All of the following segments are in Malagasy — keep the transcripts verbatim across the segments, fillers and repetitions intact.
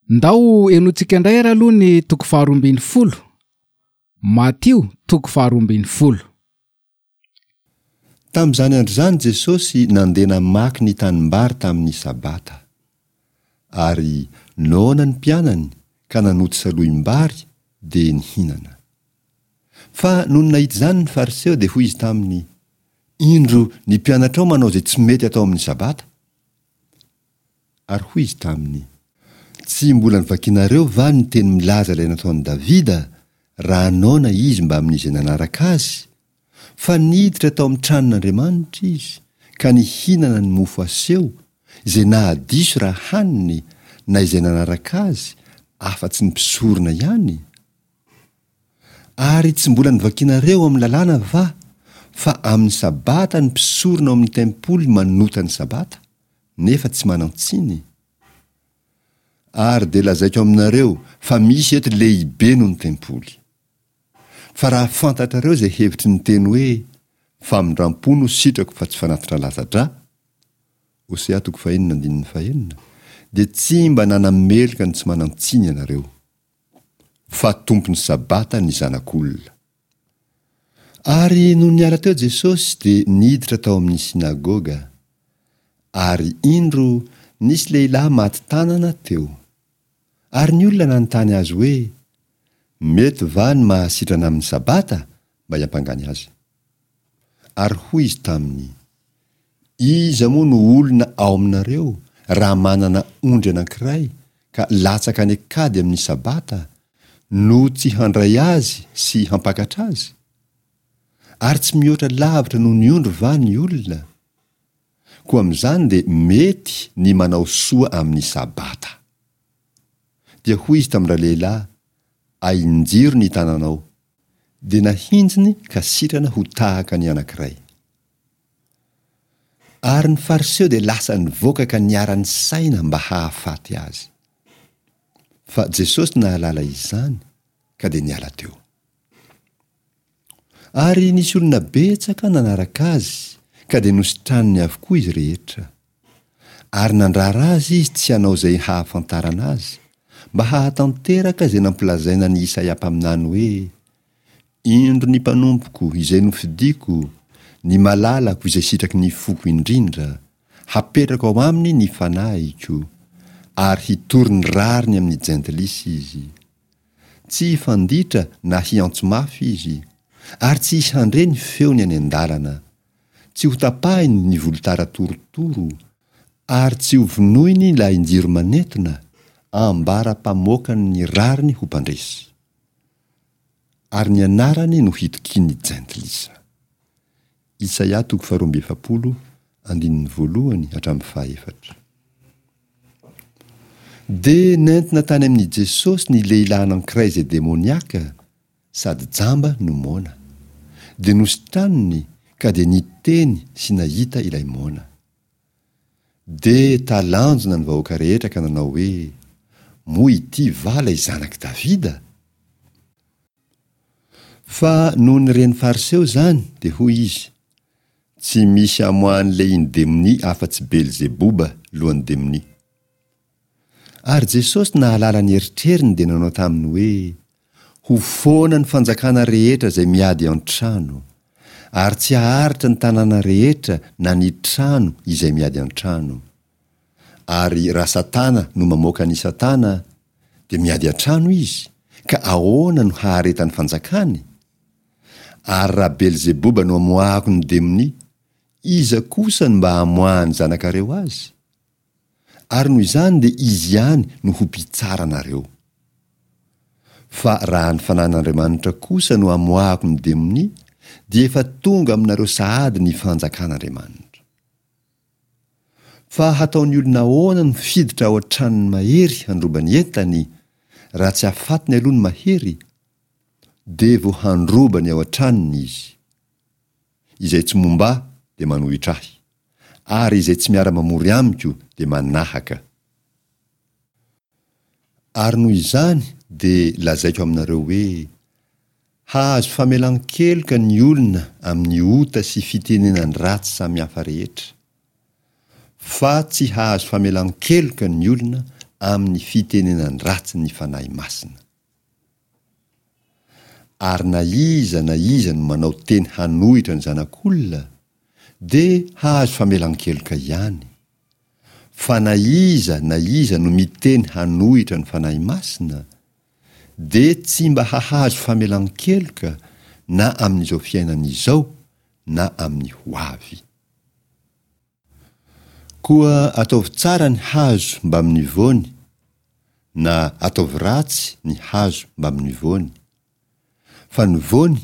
Ndao henointsika indray ary aloha ny toko faharoa ambin'ny folo. Matio toko faharoa ambin'ny folo. Tamin'izany andro izany Jesosy nandeha namaky ny tanimbary tamin'ny Sabata. Ary noana ny mpianany ka nanoto salohim-bary dia nihinana. Fa nony nahita izany ny Fariseo dia hoy izy taminy, Indro ny mpianatrao manao izay tsy mety atao amin'ny Sabata. Ary hoy izy taminy, Tsy mbola novakinareo va ny teny milaza ilay nataon'i Davida, raha noana izy mbamin'izay nanaraka azy? Fa niditra tao amin'ny tranon'Andriamanitra izy, ka nihinana ny mofo aseho, izay nahadiso raha haniny, na izay nanaraka azy, afa-tsy ny mpisorona ihany? Ary tsy mbola novakinareo ao amin'ny lalàna va, fa amin'ny Sabata ny mpisorona ao amin'ny tempoly manota ny Sabata, nefa tsy manan-tsiny? Ary dia lazaiko aminareo fa misy eto lehibe noho ny tempoly. Fa raha fantatrareo izay hevitry ny teny hoe, Famindram-po no sitrako fa tsy fanatitra latsa-drà, Hosea toko fahenina andininy fahenina, dia tsy mba nanameloka ny tsy manan-tsiny ianareo. Fa Tompon'ny Sabata ny Zanak'olona. Ary nony niala teo Jesosy dia niditra tao amin'ny synagoga. Ary indro, nisy lehilahy maty tanana teo. Ary ny olona nanontany azy hoe, Mety va ny mahasitrana amin'ny Sabata? mba hiampangany azy. Ary hoy izy taminy, Iza moa no olona ao aminareo raha manana ondry anankiray ka latsaka any an-kady amin'ny Sabata, no tsy handray azy sy hampakatra azy? Ary tsy mihoatra lavitra noho ny ondry va ny olona? Koa amin'izany dia mety ny manao soa amin'ny Sabata. Dia hoy izy tamin-dralehilahy, Ahinjiro ny tananao. Dia nahinjiny ka sitrana ho tahaka ny anankiray. Ary ny Fariseo dia lasa nivoaka ka niara-nisaina mba hahafaty azy. Fa Jesosy nahalala izany ka dia niala teo. Ary nisy olona betsaka nanaraka azy ka dia nositraniny avokoa izy rehetra. Ary nandrara azy izy tsy hanao izay hahafantarana azy, mba hahatanteraka izay nampilazaina an'i Isaia mpaminany hoe, Indro ny mpanompoko izay nofidiko, ny malalako izay sitraky ny foko indrindra, hapetrako ao aminy ny fanahiko, ary hitory ny rariny amin'ny jentilisa izy. Tsy hifanditra na hiantso mafy izy, ary tsy hisy handre ny feony any an-dalana. Tsy hotapahiny ny volotara torotoro, ary tsy hovonoiny ny lahin-jiro manentona, ambara-pamoakany ny rariny ho mpandresy. Ary ny anarany no hitokian'ny jentilisa. Isaia toko faharoa amby efapolo, andininy voalohany hatramin'ny fahaefatra. Dia nentina tany amin'i Jesosy ny lehilahy anankiray izay demoniaka, sady jamba no moana. Dia nositraniny ka dia niteny sy nahita ilay moana. Dia talanjona ny vahoaka rehetra ka nanao hoe, Moa ity va ilay zanak'i Davida? Fa nony ren'ny Fariseo izany, dia hoy izy, Tsy misy amoahan'ny lehiny demonia afa-tsy Belzeboba, lohan'ny demonia. Ary Jesosy nahalala ny eritreriny dia nanao taminy hoe, Ho foana ny fanjakana rehetra izay miady an-trano, ary tsy haharitra ny tanàna rehetra na ny trano izay miady an-trano. Ary raha Satana no mamoaka an'i Satana, dia miady an-trano izy, ka ahoana no haharetan'ny fanjakany? Ary raha Belzeboba no amoahako ny demonia, iza kosa no mba hamoahan'ny zanakareo azy? Ary noho izany dia izy ihany no ho mpitsara anareo. Fa raha ny Fanahin'Andriamanitra kosa no amoahako ny demonia, dia efa tonga aminareo sahady ny fanjakan'Andriamanitra. Fa hataon'ny olona ahoana no hiditra ao an-tranon'ny mahery handroba ny entany, raha tsy afatiny aloha ny mahery? Dia vao handroba ny ao an-tranony izy. Izay tsy momba ahy dia manohitra ahy, ary izay tsy miara-mamory amiko dia manahaka. Ary noho izany dia lazaiko aminareo hoe, Hahazo famelan-keloka ny olona amin'ny ota sy fitenenan-dratsy samihafa rehetra, fa tsy hahazo famelan-keloka ny olona amin'ny fitenenan-dratsy ny Fanahy Masina. Ary na iza na iza no manao teny hanohitra ny Zanak'olona, dia hahazo famelan-keloka ihany. Fa na iza na iza no miteny hanohitra ny Fanahy Masina, dia tsy mba hahazo famelan-keloka na amin'izao fiainana izao na amin'ny ho avy. Koa ataovy tsara ny hazo mbamin'ny voany, na ataovy ratsy ny hazo mbamin'ny voany, fa ny voany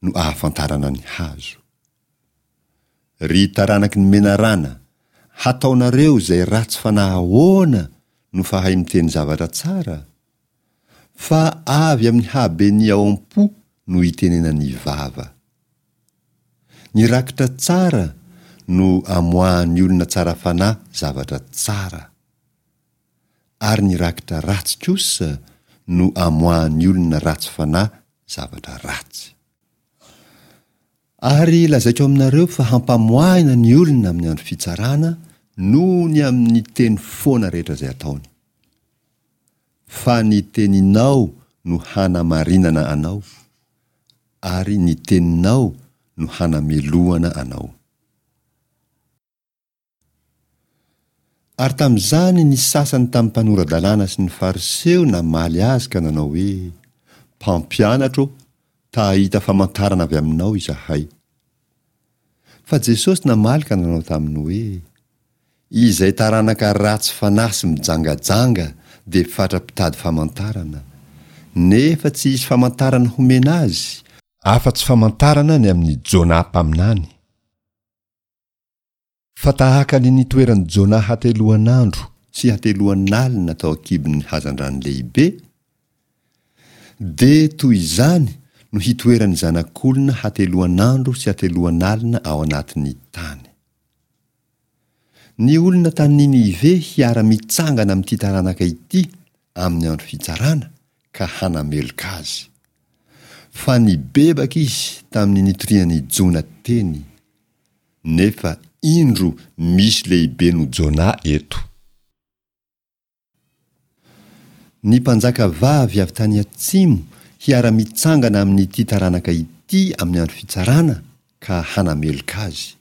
no ahafantarana ny hazo. Ry taranaky ny menarana, hataonareo izay ratsy fanahy ahoana no fahay miteny zavatra tsara? Fa avy amin'ny haben'ny ao am-po no itenenan'ny vava. Ny rakitra tsara no amoahan'ny olona tsara fanahy zavatra tsara, ary ny rakitra ratsy kosa no amoahan'ny olona ratsy fanahy zavatra ratsy. Ary lazaiko aminareo fa hampamoahina ny olona amin'ny andro fitsarana noho ny amin'ny teny foana rehetra izay ataony. Fa ny teninao no hanamarinana anao, ary ny teninao no hanamelohana anao. Ary tamin'izany ny sasany tamin'ny mpanora-dalàna sy ny Fariseo namaly azy ka nanao hoe, Mpampianatra ô, ta-hahita famantarana avy aminao izahay. Fa Jesosy namaly ka nanao taminy hoe, Izay taranaka ratsy fanahy sy mijangajanga dia fatra-pitady famantarana, nefa tsy hisy famantarana homena azy, afa-tsy famantarana ny amin'i Jonah mpaminany. Fa tahaka ny nitoeran'i Jonah hateloan'andro sy hateloan'alina tao an-kibon'ny hazandrano lehibe, dia toy izany no hitoeran'ny Zanak'olona hateloan'andro sy hateloan'alina ao anatin'ny tany. Ny olona tany Ninive hiara-mitsangana amin'ity taranaka ity amin'ny andro fitsarana ka hanameloka azy. Fa nibebaka izy tamin'ny nitorian'i Jona teny, nefa indro misy lehibe noho Jona eto. Ny mpanjaka vavy avy tany atsimo hiara-mitsangana amin'ity taranaka ity amin'ny andro fitsarana ka hanameloka azy.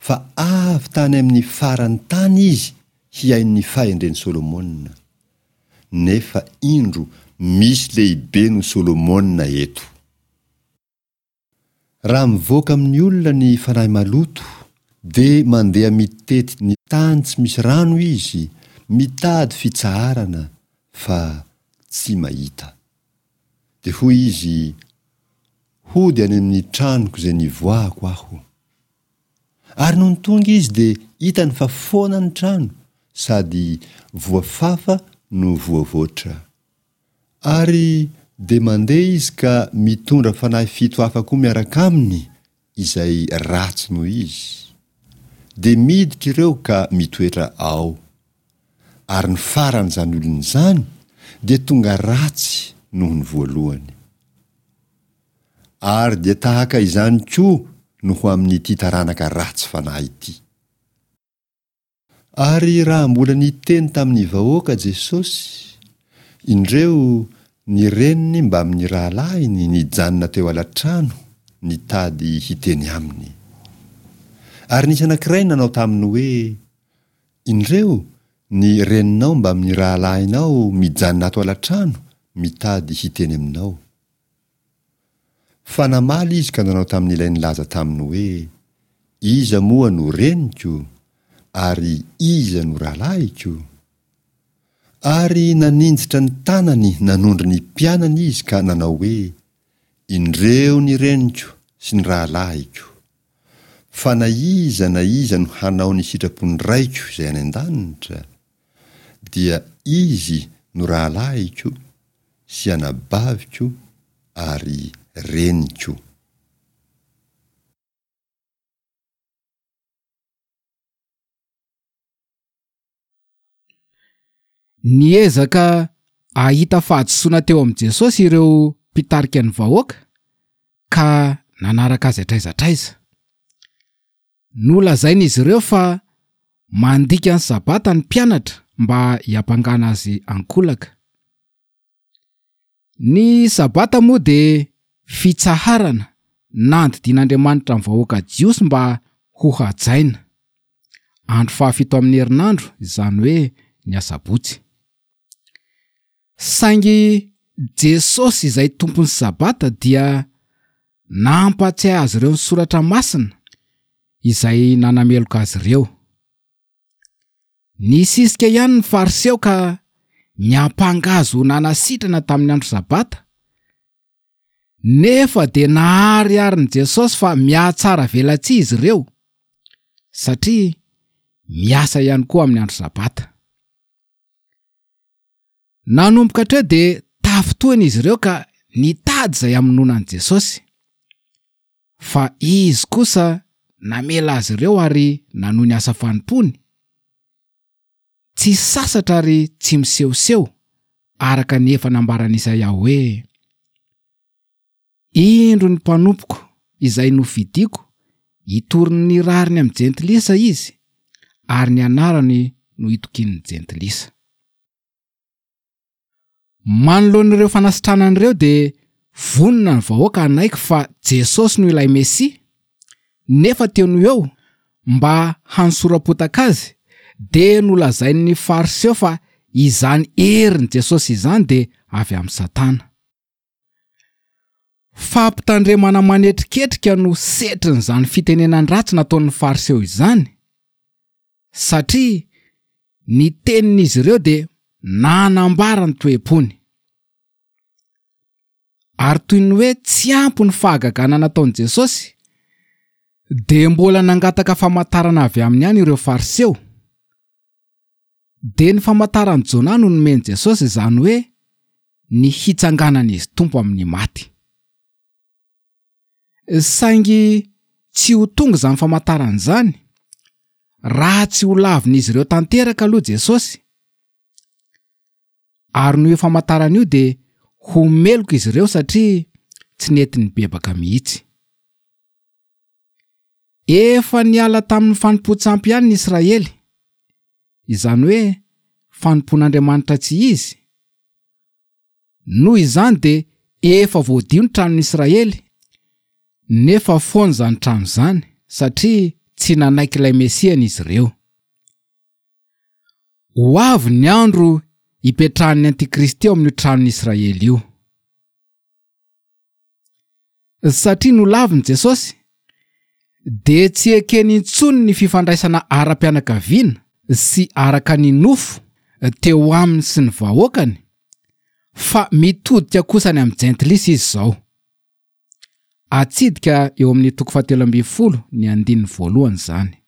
Fa avy tany amin'ny faran'ny tany izy hihaino ny fahendren'i Solomona. Nefa indro misy lehibe noho Solomona eto. Raha mivoaka amin'ny olona ny fanahy maloto, dia mandeha mitety ny tany tsy misy rano izy, mitady fitsaharana, fa tsy mahita. Dia hoy izy, Hody any amin'ny tranoko izay nivoahako aho. Ary nony tonga izy dia hitany fa foana ny trano, sady voafafa no voavoatra. Ary dia mandeha izy ka mitondra fanahy fito hafa koa miaraka aminy izay ratsy noho izy. Dia miditra ireo ka mitoetra ao. Ary ny faran'izany olona izany dia tonga ratsy noho ny voalohany. Ary dia tahaka izany koa no ho amin'ity taranaka ratsy fanahy ity. Ary raha mbola niteny tamin'ny vahoaka Jesosy, indreo ny reniny mbamin'ny rahalahiny nijanona teo ala-trano nitady hiteny aminy. Ary nisy anankiray nanao taminy hoe, Indreo ny reninao mbamin'ny rahalahinao mijanona ato ala-trano mitady hiteny aminao. Fa namaly izy ka nanao tamin'ilay nilaza taminy hoe, Iza moa no reniko, ary iza no rahalahiko? Ary naninjitra ny tanany nanondro ny mpianany izy ka nanao hoe, Indreo ny reniko sy ny rahalahiko! Fa na iza na iza no hanao ny sitrapon'ny Raiko izay any an-danitra, dia izy no rahalahiko sy anabaviko ary reniko. Niezaka hahita fahadisoana teo amin'i Jesosy ireo mpitarika ny vahoaka ka nanaraka azy hatraiza hatraiza. Nolazain'izy ireo fa mandika ny Sabata ny mpianatra mba hiampangana azy ankolaka. Ny Sabata moa dia fitsaharana nandidian'Andriamanitra ny vahoaka Jiosy mba ho hajaina. Andro fahafito amin'ny herinandro, izany hoe ny asabotsy. Saingy Jesosy izay tompon'ny Sabata dia nampatsiahy azy ireo ny soratra masina izay nanameloka azy ireo. Nisisika ihany ny Fariseo ka niampanga azy ho nanasitrana tamin'ny andro Sabata. Nefa dia nahariharin'i Jesosy fa mihatsara velatsihy izy ireo, satria miasa ihany koa amin'ny andro Sabata. Nanomboka hatreo dia tafintohina izy ireo ka nitady izay hamonoana an'i Jesosy. Fa izy kosa namela azy ireo ary nanohy ny asa fanompoany. Tsy sasatra ary tsy misehoseho, araka ny efa nambaran'i Isaia hoe: Indro ny mpanompoko izay nofidiko, hitory ny rariny amin'ny jentilisa izy, ary ny anarany no hitokian'ny jentilisa. Manoloana ireo fanasitranana ireo dia vonona ny vahoaka hanaiky fa Jesosy no ilay Mesia, nefa teo no eo mba hanosoram-potaka azy dia nolazain'ny Fariseo fa izany herin'i Jesosy izany dia avy amin'i Satana. Fampitandremana manetriketrika no setrin'izany fitenenan-dratsy nataon'ny Fariseo izany, satria ny tenin'izy ireo dia nanambara ny toe-pony. Ary toy ny hoe tsy ampy ny fahagagana nataon'i Jesosy, dia mbola nangataka famantarana avy aminy ihany ireo Fariseo. Dia ny famantaran'i Jona no nomen'i Jesosy, izany hoe ny hitsanganan'izy Tompo amin'ny maty. Saingy tsy ho tonga izany famantarana izany raha tsy ho lavin'izy ireo tanteraka aloha Jesosy. Ary noho io famantarana io dia ho meloka izy ireo satria tsy nety nibebaka mihitsy. Efa niala tamin'ny fanompoan-tsampy ihany ny Israely, izany hoe fanompoan'Andriamanitra tsy izy. Noho izany dia efa voadio ny tranon'ny Israely, nefa foana izany trano izany satria tsy nanaiky ilay Mesiany izy ireo. Ho avy ny andro hipetrahan'ny Antikristy ao amin'io tranon'ny Israely io. Satria nolaviny Jesosy, dia tsy ekeny intsony ny fifandraisana ara-pianakaviana sy araka ny nofo teo aminy sy ny vahoakany, fa mitodika kosa any amin'ny jentilisa izy izao. Atsidika eo amin'ny toko fahatelo ambin'ny folo ny andininy voalohany izany.